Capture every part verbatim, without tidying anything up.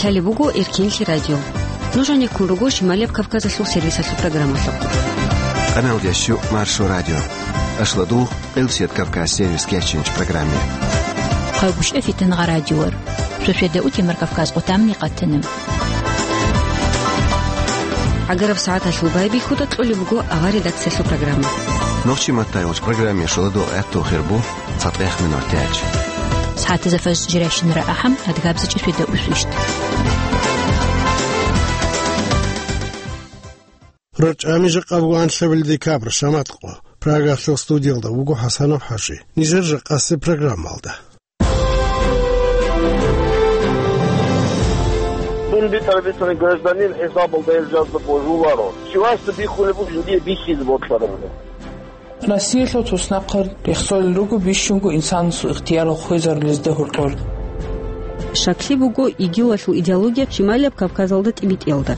Гьале буго Эркенлъи радио. Нуж гьанеккун руго Шималияб Кавказалъул сервисалъул программалъухъ. Къаналдящу Маршо радио. Ашладул, Къилсият Кавказ сервис кечинч программе. Хъайгуща фитангъа радиор. Шошеда утемар Кавказ къутамни къатана. Агараб сагӀаталъул байбихьуда кьолеб буго авар редакциялъул программа. Нохчи маттайгъуч программе шуладул гӀатту хирбу. Цадгъех минутач. СагӀатазда фажр жирайщинара ахӀам, адгабза чӀишвида усвищт. РорчӀами жакъа буго анлъабил декабрь, шамат къо. Прагалъул студиялда вуго ХӀасанов ХӀажи. Нижер жакъасеб программалда. Дун битӀараб бицани гражданин хӀисабалда гьел жазда божуларо. Чиясда биххулеб бугин дие бихьизе бокьараб. Россиялъул туснахъа рехсолел руго бищунго инсанасул ихтиярал хвезарулезда гьоркьор. Щаклъи буго ИГИЛалъул идеология Шималияб Кавказалда тӀибитӀиялда.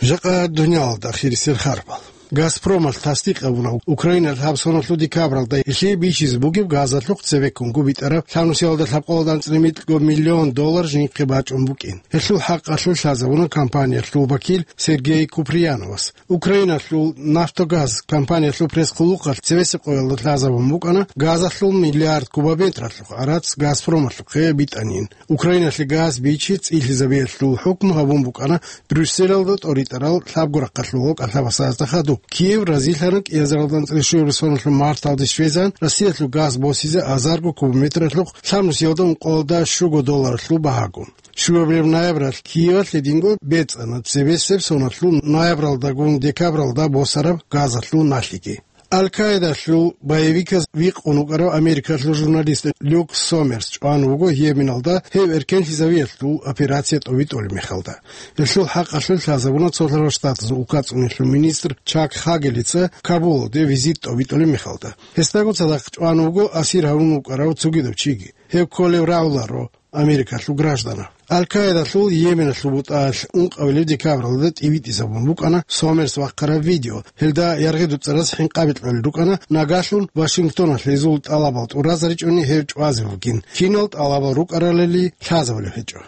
Жакъа дуниялалда ахирисел харбал. Газпромалъ тасдикъ гьабуна, Украиналъ гьаб соналъул декабралда гьелъие бичизе бугеб газалъухъ цебеккунго битӀараб лъабнусиялда лъабкъоялда анцӀила микьго миллион доллар жинхъе бачӀун букӀин. Гьелъул хӀакъалъулъ лъазабуна компаниялъул вакил Сергей Куприяновас. Украиналъул «Нафтогаз» компаниялъул пресс-хъулухъалъ цебесеб къоялда лъазабун букӀана газалъул миллиард кубометралъухъ гӀарац Газпромалъухъе битӀанин. Украиналъе газ бичи цӀилъизабиялъул хӀукму гьабун букӀана Брюсселалда тӀоритӀарал лъабго рахъалъулал кӀалъабасазда хадуб. Киев разилъана кӀиазаралда анцӀила щуяб соналъул марталде щвезан Россиялъул газ босизе азарго кубометралъухъ лъабнусиялда ункъоялда щуго долларалъул багьагун. Щуабилеб ноябралъ Киевалъ гьединго бецӀана цебесеб соналъул ноябралдагун декабралда босараб газалъул налъиги. Аль-Каидалъул боевиказ вихъун вукӀарав америкалъул журналист Люк Сомерс чӀван вуго Йеменалда гьев эркенлъизавиялъул операция тӀобитӀулеб мехалда. Гьелъул хӀакъалъулъ лъазабуна Цолъарал Штатазул улкацӀунелъул министр Чак Хагелица Кабулалде визит тӀобитӀулеб мехалда. Гьесдаго цадахъ чӀван вуго асир гьавун вукӀарав цогидав чиги. Гьев кколев рагӀуларо Америкалъул граждана. Аль-Каидалъул Йеменалъул бутӀалъ ункъабилеб декабралда тӀибитӀизабун букӀана Сомерс вахъараб видео. Гьелда яргъи дуцӀараз хӀинкъаби кьолел рукӀана, нагалъун Вашингтоналъ гьезул тӀалабал тӀуразаричӀони гьев чӀвазе вугин. Кинал тӀалабал рукӀаралали лъазабулеб гьечӀо.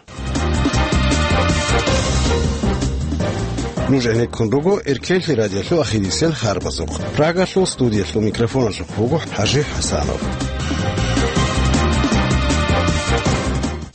Нуж гӀенеккун руго Эркенлъи радиолъул ахирисел харбазухъ. Прагалъул студиялъул микрофоналъухъ вуго ХӀажи ХӀасанов.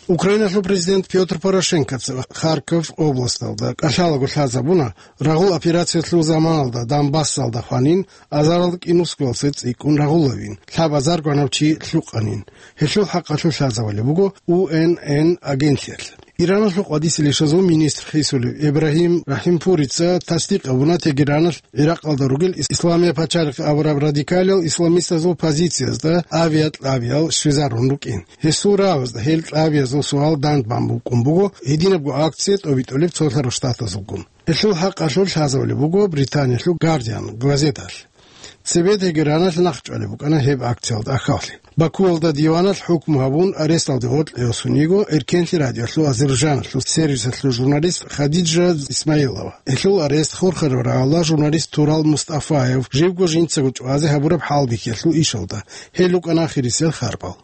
Украиналъул президент Пётр Порошенкоца Харьков областалда кӀалъалаго лъазабуна, рагъул операциялъул заманалда Донбассалда хванин, азаралда кӀинусгоялдаса цӀикӀкӀун рагъулевин, лъаб азар гванав чи лъукъанин. Гьелъул хӀакъалъулъ лъазабулеб буго У Н Н агентлъиялъ. Иранасул къватӀисел ишазул министр хисулев Ибрагьим Рахимпурица тасдикъ гьабуна Тегераналъ Иракъалда ругел Ис-, Исламия пачалихъ абураб радикалиял исламистазул позициязда авиакьабиял щвезарун рукӀин. Гьесул рагӀузда гьел кьабиязул суал дандбан букӀун буго гьединабго акция тӀобитӀулеб Цолъарал Штатазулгун. Гьелъул хӀакъалъулъ лъазабулеб буго Британиялъул Гардиан газеталъ. Цебе Тегераналъ нахъчӀвалеб букӀана гьеб акциялда ахьаллъи. Бакуялда диваналъ хӀукму гьабун, аресталде гъоркье росун йиго Эркенлъи радиолъул Азербайджаналъул сервисалъул журналист Хадиджа Исмаилова. Гьелъул арест хурхараб рагӀула журналист Турал Мустафаев живго жинцаго чӀвазе гьабураб хӀалбихьиялъул ишалда. Гьел рукӀана ахирисел харбал.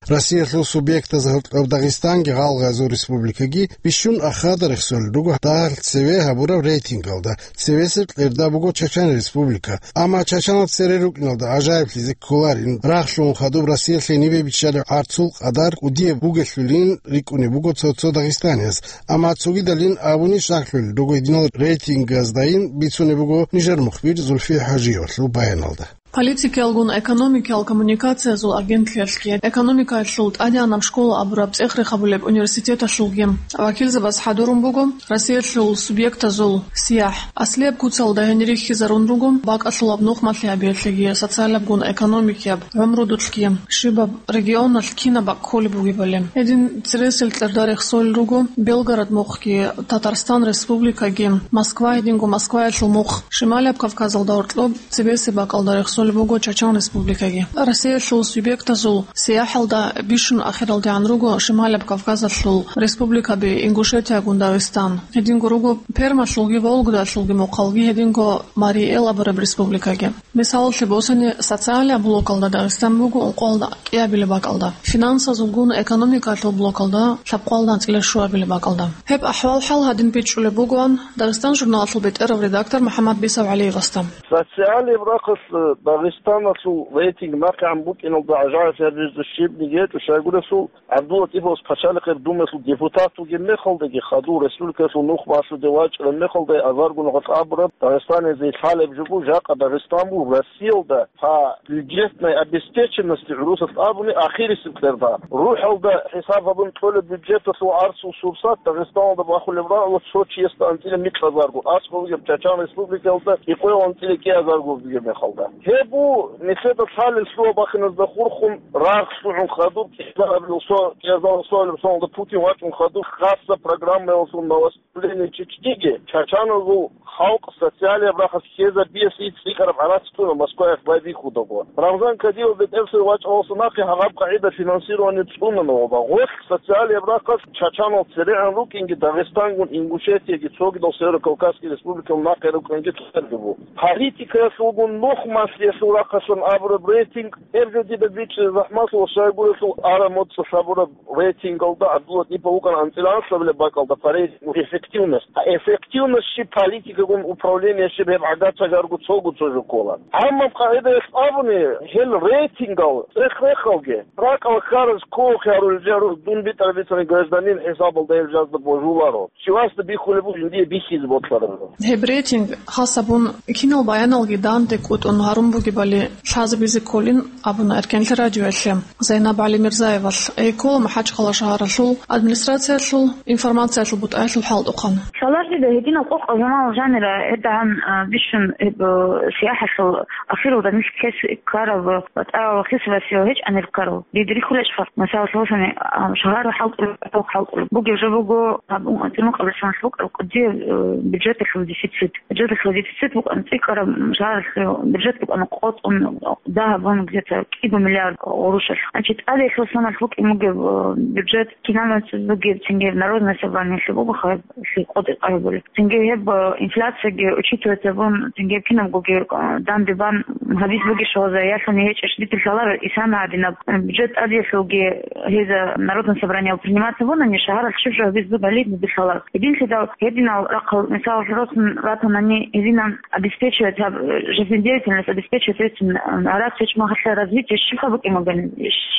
Россиялъул субъектазда гьоркьоб Дагъистанги Гъалгъазул республикаги бищун ахада рехсолел руго дагьалъ цеве гьабураб рейтингалда. Цевесеб кьерда буго Чачан республика. Амма Чачаналда цере рукӀиналда гӀажаиблъизе кколарин, рагълъун хадуб Россиялъ гьенибе биччалеб гӀарцул къадар кӀудияб бугелъулин рикӀкӀунеб буго цо-цо дагъистанияз. Амма цогидалин абуни щаклъулел руго гьединал рейтингаздаин бицунеб буго нижер мухбир Зульфи ХӀажиевалъул баяналда. Политикиялгун экономикиял коммуникациязул агентлъиялъги, экономикаялъул тӀадегӀанаб школа абураб цӀех рехабулеб университеталъулги вакилзабаз хӀадурун буго Россиялъул субъектазул сияхӀ. Аслияб куцалда гьенир рихьизарун руго бакӀалъулаб нухмалъи гьабиялъеги, социалабгун экономикияб гӀумрудулъги, щибаб регионалъ кинаб бакӀ кколеб бугебали. Гьедин цересел кьерда рехсолел руго Белгород мухъги, Татарстан республикаги, Москва, гьединго Москваялъул мухъ, Шималияб Кавказалда гьоркьоб цебесеб бакӀалда рехсолел буго Чачан Республикаги. Россиялъул субъектазул сияхӀалда бищун ахиралдегӀан руго Шималаб Кавказалъул республикаби Ингушетиягун Дагъистан. Гьединго руго Пермалъулги Вологдалъулги мухъалги, гьединго Марий Эл абураб республикаги. Мисалалъе босани, социалияб блокалда Дагъистан буго ункъоялда кӀиабилеб бакӀалда. Финансазулгун экономикалъул блокалда лъабкъоялда анцӀила щуабилеб бакӀалда. Гьеб ахӀвал-хӀал гьадин бичӀчӀулеб бугоан Дагъистан журналалъул бетӀерав редактор МухӀаммад Бисав ГӀалиевасда. Социалияб рахъалъ Дагъистаналъул рейтинг нахъегӀан букӀиналда гӀажаиблъи гьабизе щибниги гьечӀо, щайгурелъул ГӀабдуллатӀиповас пачалихъе Думаялъул депутат вугеб мехалдаги, хадув республикалъул нухмалъ вачӀараб мехалда азарго нухалъ абураб, Дагъистанизе лъалеб жо буго, жакъа Дагъистан буго Россиялда по бюджетной обеспеченности, гӀурусалъ абуни, ахирисеб къерда. РухӀалда хӀисаб гьабун кьолеб бюджеталъул гӀарцул сурсат Дагъистаналда бахулеб рагӀула цо чиясда анцӀила микьазарго, аскӀов вугеб Чачан Республикаялда къикъоялда анцӀила кӀиазарго бугеб мехалда. Гьеб буго нилъеда лъалел лъугьа-бахиназда хурхун рагъ лъугӀун хадуб кӀиазараб, кӀиазараб соналда Путин вачӀун хадуб хасса программаялъул новостей Чечниги чачаназул халкъ социалияб рахъалъ хьезабиялъе цӀикӀкӀараб гӀарац кьуна Москваялъ байбихьудаго. Рамзан Кадиров бетӀерсай вачӀаралдаса нахъе гьаб къагӀида финансирование цӀунана ва гъолъ социалияб рахъалъ чачанал церегӀан рукӀинги Дагъистангун, Ингушетияги, цогидал Северо-Кавказский республикал нахъе рукӀинги церги буго. Политикаялъулгун нухмалъиялъул рахъалъан абураб рейтинг, гьеб жо дида бичӀчӀизе захӀмалъула, щайгурелъул ара моцӀалъ абураб рейтингалда ГӀабдуллатӀипов вукӀана анцӀила анлъабилеб бакӀалда по рейтингу эффективность. А эффективность щиб, политикагун управление щиб, гьеб гӀагар-чагарго цого цо жо ккола. Гьаммаб къагӀидаялъ абуни, гьел рейтингал цӀех-рехалги, ракӀал хьараз кколухъе гьарулел жагьурал дун битӀараб бицани гражданин хӀисабалда гьел жазда божуларо. Щивасда бихьулеб бугин дие бихьизе бокьараб жо. Гьеб рейтинг хас гьабун, кинал баяналги данде кӀутӀун гьарун бугебали лъазабизе кколин абуна Эркенлъи радиоялъе Зайнаб ГӀалимирзаевалъ, гьей ккола МахӀачхъала шагьаралъул администрациялъул информациялъул бутӀаялъул хӀалтӀухъан. Лъалар дида гьединал къокъаб журналал жанира гьедагьан, а, бищун гьеб, а, сияхӀалъул ахиралда нилъ ккезе ккараб, а, батӀа ва хисабасиял гьечӀанил ккарал. Дида рихьулечӀха, мисалалъе босани, а, шагьар хӀалтӀулеб, хӀалтӀулеб бугеб жо буго, гьаб, ун, цӀинукъабилъун лъукъаб къудияб, э, бюджеталъул дефицит. Бюджеталъул дефицит букӀана цӀикӀкӀараб, шагьаралъул бюджет букӀана къотӀун, дагьабун где-то кӀиго миллиард гъурущалъ. Значит, тӀадеялъул соналъ букӀин бугеб, э, бюджет, киналница бугеб, цинги Народное собраниялъе буго, хаб, лъикъо декъарабули. Цинги гьеб, э, инфляцияги учитывать гьабун, цинги кинабгоги, э, данде бан гьабиз бугищ гьоза, ялъуни гьечӀищ дитил лъалар исана гьадинаб, э, бюджет тӀадеялъулги гьеза Народное собраниялъ принимать гьабунани, шагьаралъ щиб жо гьабиз бугали дитил лъалар. Гьединлъидал гьединал рахъал, мисал, росун ратанани, гьединан обеспечивать гьаб-, жизнедеятельность обеспечивать гьечӀин, э, гьаракь гьечӀ махалъа развитие щибха букӀин бугани,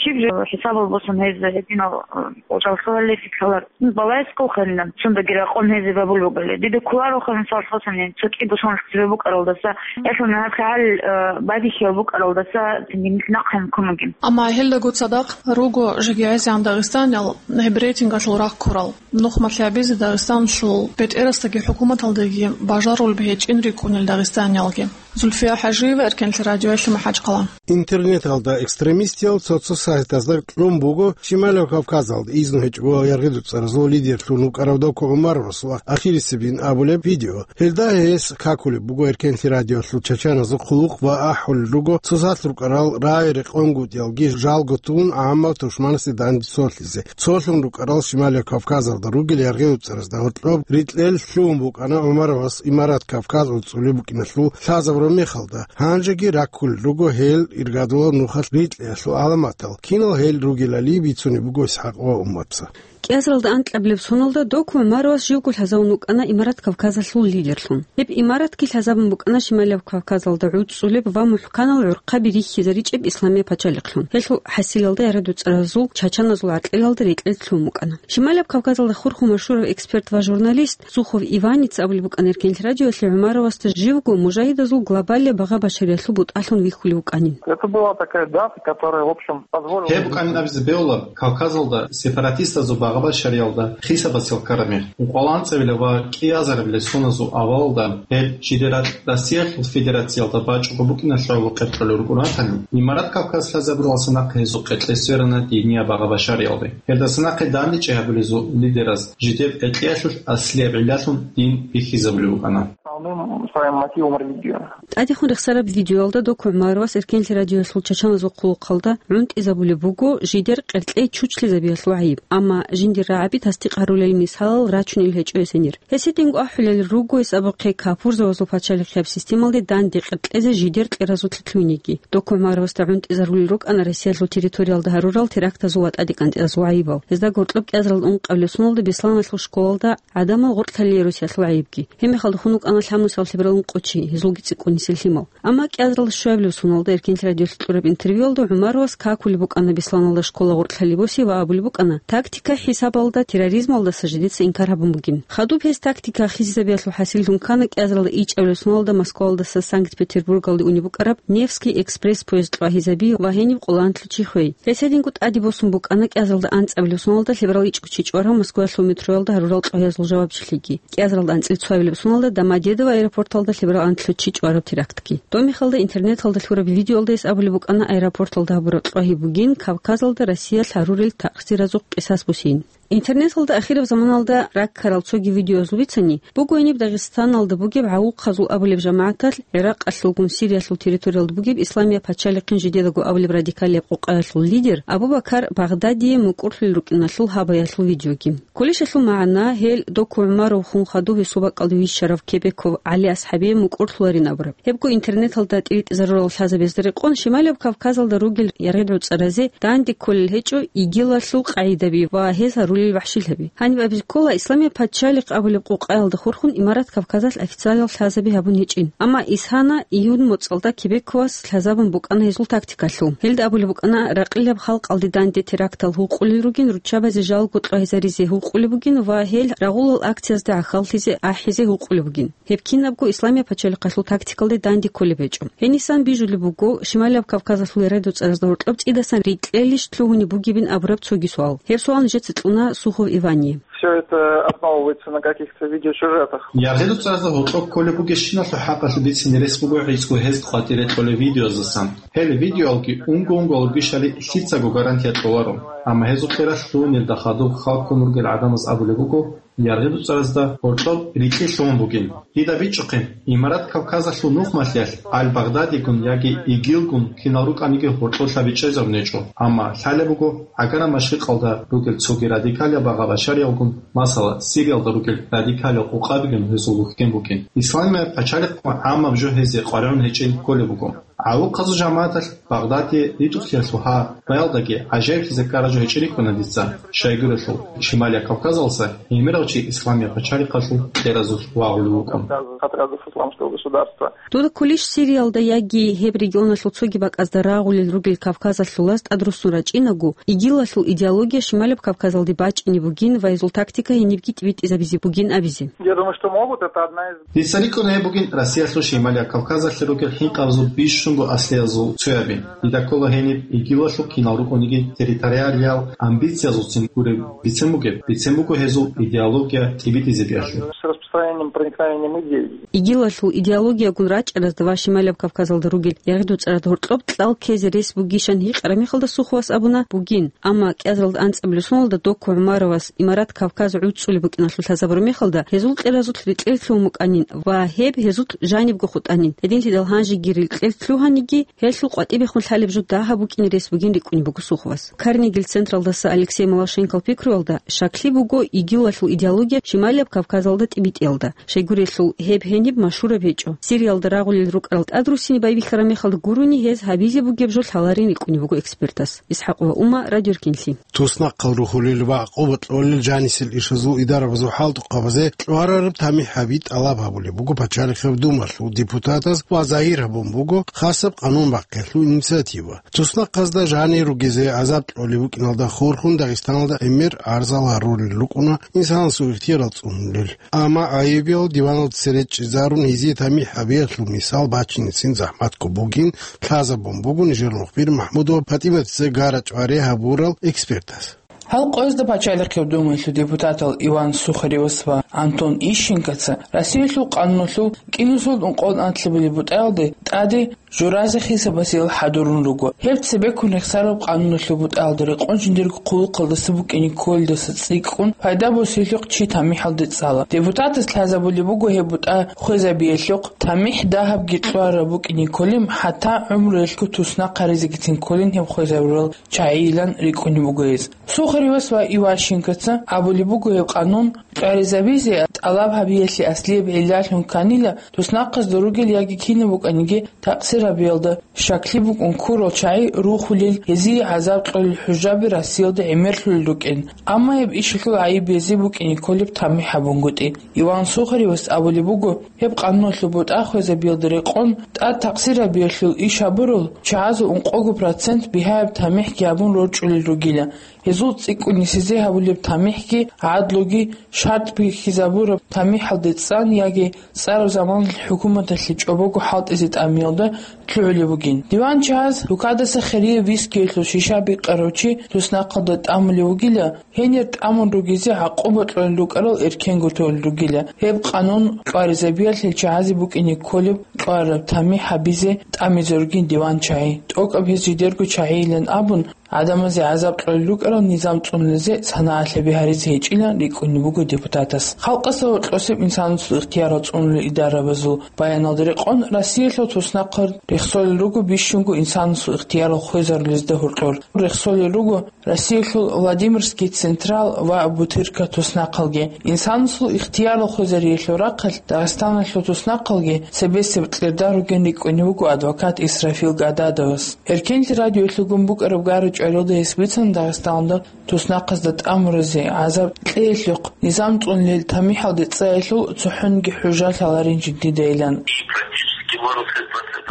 щиб жо хӀисабал босун гьез гьединал, э, жалхалалъе лъалар. Балайскал ханилан, цундаги ракъун гьезие бабул бугали. Дида кколароха, мисал, хасани, цо кӀиго соналъ цебе букӀаралдаса, ясалъ нагьаблъи гьал, э, бадихьиял букӀаралдаса, цинги нилъ нахъе ккун бугин. Амма гьелдаго цадахъ руго жагьилзегӀан дагъистаниял гьеб рейтингалъул рахъ ккурал. Нухмалъи гьабизе Дагъистаналъул бетӀерасдаги хӀукуматалдаги бажарулеб гьечӀин рикӀкӀунел дагъистаниялги. Зульфия ХӀажиева, Эркенлъи радиоялъе МахӀачхъала. Интернеталда экстремистиял цо-цо сайтазда кьун буго Шималав Кавказалда изну гьечӀого яргъи-дуцӀаразул лидерлъун вукӀарав Доку ГӀумаровасул ахирисебин абулеб видео. Гьелда гьес какулеб буго Эркенлъи радиоялъул чачаназул хъулухъ ва ахӀулел руго цоцалъ рукӀарал рагӀи-рекъонгутӀиялги жалго тун гӀаммаб тушманасде данде цолъизе. Цолъун рукӀарал Шималияб Кавказалда ругел яргъи-дуцӀаразда гьоркьоб рикьел лъугьун букӀана ГӀумаровас Имарат Кавказ гӀуцӀулеб букӀиналъул лъазабураб мехалда. Гьанжеги раккулел руго гьел иргадулаб нухалъ рикьиялъул гӀаламатал, кинал гьел ругелали бицунеб буго ИсхӀакъ ва Умматса. КӀиазаралда анкьабилеб соналда Доку ГӀумаровас живго лъазавун вукӀана Имарат Кавказалъул лидерлъун. Гьеб имаратги лъазабун букӀана Шималияб Кавказалда гӀуцӀулеб ва мухӀканал гӀурхъаби рихьизаричӀеб исламияб пачалихълъун. Гьелъул хӀасилалда яргъи-дуцӀаразул чачаназул гӀаркьелалда рекьел лъугьун букӀана. Шималияб Кавказалда хурхун машгьурав эксперт ва журналист Сухов Иваница абулеб букӀана Эркенлъи радиоялъе ГӀумаровасда живго мужагьидазул глобалияб багъа-башариялъул бутӀалъун вихьулев вукӀанин. Это была такая дата, которая, в общем, позволила... Гьеб букӀанин абизе бегьула Кавказалда сепаратистазул багъа-башариялда хисабасел ккараб мех. Ункъоялда анцӀабилеб ва кӀиазарабилеб соналъул авалалда гьел жидер ракь Россиялъул Федерациялда бачӀого букӀиналъ гӀоло къеркьулел рукӀун ратани, Имарат Кавказ лъазабуралдаса нахъе гьезул къеркье сверана динияб багъа-башариялде. Гьелдаса нахъе дандечӀей гьабулезул лидераз жидер къеркьеялъулъ аслияб гӀиллалъун дин бихьизабулеб букӀана. Основным своим мотивом религию. ТӀадехун рехсараб видеоялда Доку ГӀумаровас Эркенлъи радиоялъул чачаназул хъулухъалда гӀунтӀизабулеб буго жидер къеркьей чучлъизабиялъул гӀайиб, амма жиндир рагӀаби тасдикъ гьарулел мисалал рачунел гьечӀо гьесенир. Гьесидинго ахӀулел руго гьес абухъе капурзавазул пачалихъияб системалде данде къеркьезе жидер кьеразулъе лъугьинеги. Доку ГӀумаровасда гӀунтӀизарулел рукӀана Россиялъул территориялда гьарурал терактазул ва тӀадекӀантӀиязул гӀайибал. Гьезда гьоркьоб кӀиазарал ункъабилеб соналда Бесланалъул школалда гӀадамал гъоркьлъалие росиялъул гӀайибги. Гьеб мехалда хун вукӀана лъабнусиялъул лъебералъун къо чи, гьезулги цӀикӀкӀун нилъер лъимал. Амма кӀиазаралда щуабилеб соналда Эркенлъи радиоялъ кьураб интервьюялда ГӀумаровас какулеб букӀана Бесланалда школа гъоркьлъалеб боси ва абулеб букӀана, тактика хӀисабалда терроризмалдаса жидеца инкар гьабун бугин. Хадуб гьес тактика хисизабиялъул хӀасиллъун ккана кӀиазаралда ичӀабилеб соналда Москвалдаса Санкт-Петербургалде унеб букӀараб Невский экспресс поезд кьвагьизаби ва гьениб къоло анлъго чи хвей. Гьес гьединго тӀаде босун букӀана кӀиазаралда анцӀабилеб соналда лъеберал ичӀго чи чӀварав Москваялъул метроялда гьарурал кьвагьиязул жавабчилъиги. КӀиазаралда анцӀила цоабилеб соналда Домодедово аэропорталда лъеберал анлъго чи чӀвараб терактги. Доб мехалда интернеталда лъураб видеоялда гьес абулеб букӀана аэропорталда гьабураб кьвагьи бугин Кавказалда Россиялъ гьарурел такъсиразухъ кьисас бусин. Интернеталда ахираб заманалда раккарал цоги видеоязул бицани, буго гьениб Дагъистаналда бугеб гӀавухъазул абулеб жамагӀаталъ, ГӀиракъалъулгун Сириялъул территориялда бугеб Исламияб пачалихъин жидедаго абулеб радикалияб къокъаялъул лидер Абу-Бакар Багъдадие мукӀурлъулел рукӀиналъул гьабаялъул видеоги. Кулишалъул магӀна, гьел Доку ГӀумаров хун хадуб гьесул бакӀалде вищарав Кебеков ГӀали асхӀабие мукӀурлъуларин абураб. Гьебго интернеталда тӀиритӀизарурал лъазабазда рекъон Шималияб Кавказалда ругел яргъи-дуцӀаразе данде кколел гьечӀо ИГИЛалъул къагӀидаби ва гьез гьарулел вахӀшилъаби. Гьаниб абизе ккола, Исламияб пачалихъ абулеб къокъаялда хурхун Имарат Кавказалъ официалияв лъазаби гьабун гьечӀин. Амма исана июнь моцӀалда Кебековас лъазабун букӀана гьезул тактикалъул. Гьелда абулеб букӀана, ракъилаб халкъалде данде терактал гьукъулел ругин, руччабазе жалго кьвагьизаризе гьукъулеб бугин ва гьел рагъулал акциязда гӀахьаллъизе ахӀизе гьукъулеб бугин. Гьеб кинабго Исламияб пачалихъалъул тактикалде данде кколеб гьечӀо. Гьенисан бижулеб буго, Шималияб Кавказалъул яргъи-дуцӀаразда гьоркьоб цӀидасан рикьелищ лъугьунеб бугебин абураб цоги суал. Гьеб суал нижеца кьуна Сухов Ивание. Все это основывается на каких-то видеосюжетах. Яргъи-дуцӀаразда гьоркьоб кколеб бугебщиналъул хӀакъалъулъ бицине рес буго гӀицӀго гьезда къватӀире кьолеб видеояздасан. Гьел видеоялги унго-унго гьабугищали лъицаго гарантия кьоларо. Амма гьезул кьералъ лъугьунелда хадуб хал ккун ругел гӀадамаз абулеб буго, яргъи-дуцӀаразда гьоркьоб рикьи лъугьун бугин. Дида бичӀчӀухъе, Имарат Кавказалъул нухмалъиялъ Аль-Багъдадигун яги ИГИЛгун кинал рукӀаниги гьоркьоб лъаби чӀезабун гьечӀо, амма лъалеб буго, гӀагараб машрикъалда ругел цоги радикалияб багъа-башариялгун, масала, Сириялда ругел радикалиял къокъабигун гьезул вухьдин букӀин. Исламияб пачалихъ гӀаммаб жо гьезие къваригӀун гьечӀин кколеб буго. ГӀавухъазул жамагӀаталъ Багъдадие ритӀухълъиялъул гьа баялдаги гӀажаиблъизе ккараб жо гьечӀин рикӀкӀуна дица, щайгурелъул Шималияб Кавказалдаса гӀемерав чи Исламияб пачалихъалъул кьеразулъ вагъулев вукӀун. Отрядов Исламского государства. Дуда кколищ Сириялда яги гьеб регионалъул цоги бакӀазда рагъулел ругел Кавказалъулаз тӀадруссун рачӀинаго, ИГИЛалъул идеология Шималияб Кавказалде бачӀине бугин ва гьезул тактика гьенибги тӀибитӀизабизе бугин абизе? Я думаю, что могут. Это одна из Дица рикӀкӀуна гьеб бугин Россиялъул Шималияб Кавказалъе ругел хӀинкъабазул бищунго аслиязул цояби. Дида ккола гьениб ИГИЛалъул кинал рукӀуниги территориалиял амбициязулцин гуреб бицен бугеб, бицен буго гьезул идеология тӀибитӀизе биялъе. С распространением, проникновением идей. ИГИЛалъул идеологиягун рачӀаразда ва Шималияб Кавказалда ругел яргъи-дуцӀараз гьоркьоб кьал ккезе рес бугищан гьикъараб мехалда Суховас абуна, бугин. Амма кӀиазаралда анцӀабилеб соналда Доку ГӀумаровас Имарат Кавказ гӀуцӀулеб букӀиналъул лъазабураб мехалда, гьезул кьеразулъ рекьел лъугьун букӀанин ва гьеб гьезулъ жанибго хутӀанин. Гьединлъидал гьанжегирил кьел лъугьаниги, гьелъул къватӀибехун лъалеб жо дагьаб букӀине рес бугин рикӀкӀунеб буго Суховас. Карнегил централдаса Алексей Малашенкол пикруялда, щаклъи буго ИГИЛалъул идеология Шималияб Кавказалда тӀибитӀиялда. Щайгурелъул, гьеб гьениб машгьураб гьечӀо. Сириялда рагъулел рукӀарал тӀадруссине байбихьараб мехалда гурони гьез гьабизе бугеб жо лъаларин рикӀкӀунеб буго экспертас. ИсхӀакъова Умма, Радио Эркенлъи. Туснахъал рухьулел ва къуват кьолел жанисел ирсазул идарабазул хӀалтӀухъабазе кьварараб тамихӀ гьаби тӀалаб гьабулеб буго Пачалихъаб Думалъул депутатаз ва загьир гьабун буго хасаб къанун бахъиялъул инициатива. Туснахъазда жанир ругезе гӀазаб кьолеб букӀиналда хурхун Дагъистаналда гӀемер арзал гьарулел рукӀуна инсанасул ихтияр цӀунулел. Амма гӀайибиял диваналда цере чӀезарун гьезие тамихӀ гьабиялъул мисал бачинецин захӀматго бугин лъазабун буго нижер мухбир МахӀмудова ПатӀиматица гара-чӀвари гьабурал экспертас. Гьал къоязда Пачалихъаб Думаялъул депутатал Иван Сухаревас ва Антон Ищенкоца Россиялъул къануналъул кӀинусул ункъо анлъабилеб бутӀаялде тӀаде журазе хисабасел хӀадурун руго. Гьеб цебеккун рехсараб къануналъул бутӀаялда рекъон жиндирго хъулухъалдаса букӀине кколелдаса цӀикӀкӀун пайда босиялъухъ чи тамихӀалде цӀала. Депутатас лъазабулеб буго гьеб бутӀа хвезабиялъухъ, тамихӀ дагьабги кьвараб букӀине кколин, хӀатта гӀумруялъго туснахъ гьаризегицин кколин гьеб хвезабурал чагӀийилан рикӀкӀунеб буго гьез. Сухаривас ва Иващенкоца абулеб буго гьеб къанун кьваризабизе тӀалаб гьабиялъе аслияб гӀиллалъун кканила, туснахъазда ругел яги кинаб букӀаниги такъсир гьабиялда щаклъи букӀун ккурал чагӀи рухулел, гьезие гӀазаб кьолел хӀужаби Россиялда гӀемерлъулел рукӀин, амма гьеб ишалъул гӀайиб гьезие букӀине кколеб тамихӀ гьабунгутӀи. Иван Сухаривас абулеб буго, гьеб къануналъул бутӀа хвезабиялда рекъон тӀад такъсир гьабиялъул иш гьабурал чагӀазул ункъого процент бигьаяб тамихӀги гьабун рорчӀулел ругила. Гьезул цӀикӀкӀун нисизе гьабулеб тамихӀги, гӀадлуги шартӀ бихьизабураб тамихӀалде цӀан яги цӀараб заманалъ хӀукуматалъе чӀобого хӀалтӀизе тӀамиялда лъугӀулеб бугин. Диван чагӀаз рукадаса хирияб вискиялъул шиша бикъарав чи туснахъалда тӀамулев вугила, гьенир тӀамун ругезе гӀакъуба кьолел рукӀарал эркенго толел ругила. Гьеб къанун кьваризабиялъе чагӀазе букӀине кколеб кьвараб тамихӀ гьабизе тӀамизе ругин диван чагӀи. ТӀокӀаб гьез жидерго чагӀийилан абун, гӀадамазе гӀазаб кьолел рукӀарал низам цӀунулезе санагӀалъаби гьаризе гьечӀилан рикӀкӀунеб буго депутатас. Халкъалъул гьоркьосеб инсанасул ихтиярал цӀунулел идарабазул баяналда рекъон, Россиялъул туснахъал рехсолел руго бищунго инсанасул ихтиярал хвезарулезда гьоркьор. Рехсолел руго Россиялъул Владимирский Централ ва Бутырка туснахъалги. Инсанасул ихтиярал хвезариялъул рахъалъ Дагъистаналъул туснахъалги цебесеб кьерда ругин рикӀкӀунеб буго адвокат Исрафил Гададовас. Эркенлъи радиоялъулгун букӀараб гара-чӀваралда гьес бицана Дагъистаналда туснахъазда тӀамуразе, гӀазаб кьеялъухъ низам цӀунулел тамихӀалде цӀаялъул цохӀониги хӀужа лъаларин жиндидайилан.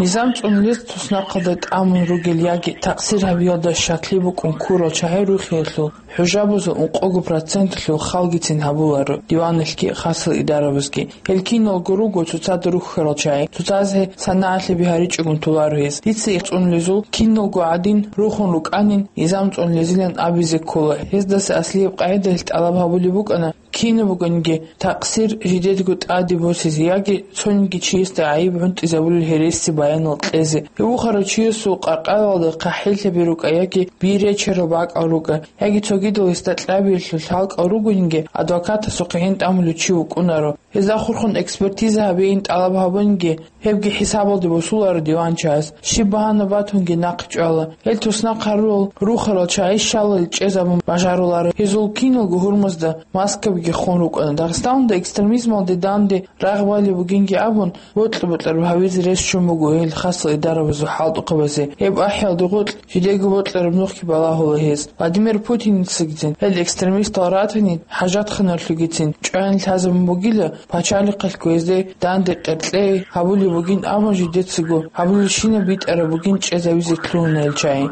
Низам цӀунулез туснахъалда тӀамун ругел яги такъсир гьабиялда щаклъи букӀун ккурал чагӀи рухиялъул хӀужабазул ункъого проценталъул халгицин гьабуларо диваналъги хасал идарабазги. Гьел киналго руго цоцазда рухьарал чагӀи, цоцазе санагӀалъаби гьаричӀогун толаро гьез. Дица цӀунулезул киналго гӀадин рухун рукӀанин, низам цӀунулезилан абизе ккола. Гьездаса аслияб къагӀидаялъ тӀалаб гьабулеб букӀана, кинаб бугониги такъсир жидедго тӀаде босизе яги цониги чиясда гӀайиб гӀунтӀизабулел гьереси баянал кьезе. Гьев ухарав чиясул къаркъалалда хъахӀиллъаби рукӀа яги биречерал бакӀал рукӀа, яги цогидал гьесда кьабиялъул лъалкӀал ругониги, адвокатасухъе гьин тӀамулев чи вукӀунаро. Гьезда хурхун экспертиза гьабейин тӀалаб гьабуниги, гьебги хӀисабалде босуларо диван чагӀаз. Щиб багьана батунги нахъе чӀвала. Гьел туснахъ гьарурал рухарал чагӀи щалал чӀезабун бажаруларо. Гьезул киналго гьурмазда маскабиги хун рукӀана. Дагъистаналда экстремизмалде данде рагъ балеб бугинги абун, бокьа-бокьараб гьавизе рес ччун буго гьел хасал идарабазул хӀалтӀухъабазе. Гьеб ахӀиялда гъоркь жидеего бокьараб нухги балагьула гьез. Владимир Путиницагицин, гьел экстремистал ратани хӀажатханалъугицин чӀваялъ лъазабун бугила, пачалихъалъго гьезде данде къеркьей гьабулеб бугин, амма жидецаго гьабулелщинаб битӀараб бугин чӀезавизе лъугьуна гьел чагӀи.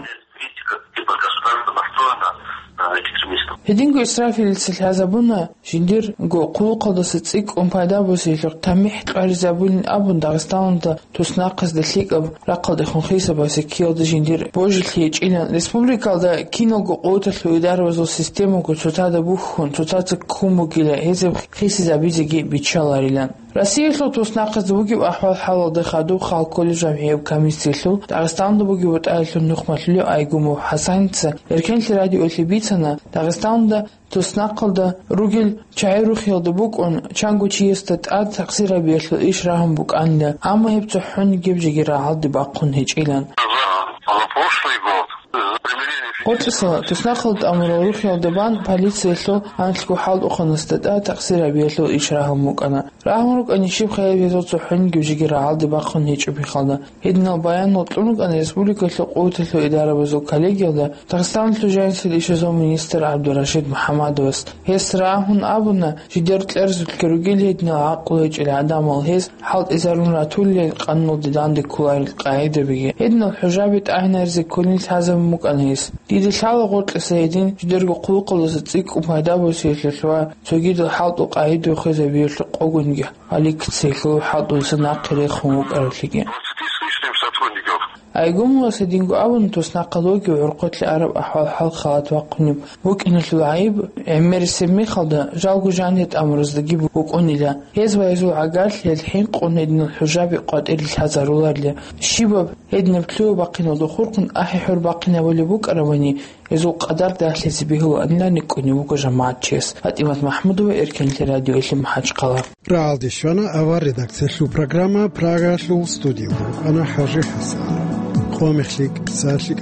Гьединго Исрафилица лъазабуна, жиндирго хъулухъалдаса цӀикӀкӀун пайда босиялъухъ тамихӀ кьваризабулин абун Дагъистаналда туснахъазда лъикӀаб рахъалдехун хисабазе ккеялда жиндир божилъи гьечӀилан, республикалда киналго къуваталъул идарабазул системаго цоцазда бухьун, цоцаца ккун бугила, гьезаб хисизабизеги биччаларилан. Россиялъул туснахъазда бугеб ахӀвал-хӀалалда хадуб хал кколеб жамгӀияб комиссиялъул Дагъистаналда бугеб бутӀаялъул нухмалъулев Айгумов ХӀасаница Эркенлъи радиоялъе бицана, Дагъистаналда туснахъалда ругел чагӀи рухиялда букӀун, чанго чиясда тӀад такъсир гьабиялъул иш рагьун букӀанила, амма гьеб цохӀонигеб жеги рагӀалде бахъун гьечӀилан. Гъоркьисала туснахъалда тӀамурал рухиялда бан полициялъул анлъго хӀалтӀухъанасда тӀад такъсир гьабиялъул иш рагьун букӀана. Рагьун рукӀани щиб хъайиб гьезул цохӀонигеб жеги рагӀалде бахъун гьечӀеб мехалда. Гьединал баянал кьун рукӀана республикалъул къуваталъул идарабазул коллегиялда Дагъистаналъул жанисел ишазул министр ГӀабдурашид МухӀамадовас. Гьес рагьун абуна, жидер кьерзулъги ругел гьединал гӀакълу гьечӀел гӀадамал, гьез хӀалтӀизарун ратулел къануналде данде кколарел къагӀидабиги. Гьединал хӀужаби тӀагӀинаризе кколин лъазабун букӀана гьес. Дида лъала гъоркьиса гьедин жидерго хъулухъалдаса цӀикӀкӀун пайда босиялъулъ ва цогидал хӀалтӀул къагӀида хвезабиялъухъ къогониги гьаликкица гьелъул хӀалтӀулъа нахъе рехун вукӀаралъиги. Айгумовас гьединго абуна, туснахъалъувеги гӀурхъулъе араб ахӀвал-хӀал халат вахъунеб букӀиналъул гӀайиб гӀемерисеб мехалда, жалго жанир тӀамураздаги букӀунила. Гьез ва гьезул гӀагарлъи гьел хӀинкъун гьединал хӀужаби къватӀире лъазаруларила. Щибаб гьединаб лъугьа-бахъиналда хурхун ахӀи-хӀур бахъинабулеб букӀарабани, гьезул къадар дагьлъизе бегьулаанилан рикӀкӀунев вуго жамагӀатчияс. ПатӀимат МахӀмудова, Эркенлъи радиоялъе МахӀачхъала. Рагьалде щвана авар редакциялъул программа, Прагаялъул студиялда рукӀана ХӀажи ХӀасан. Къо мехлъи, кӀицӀалъи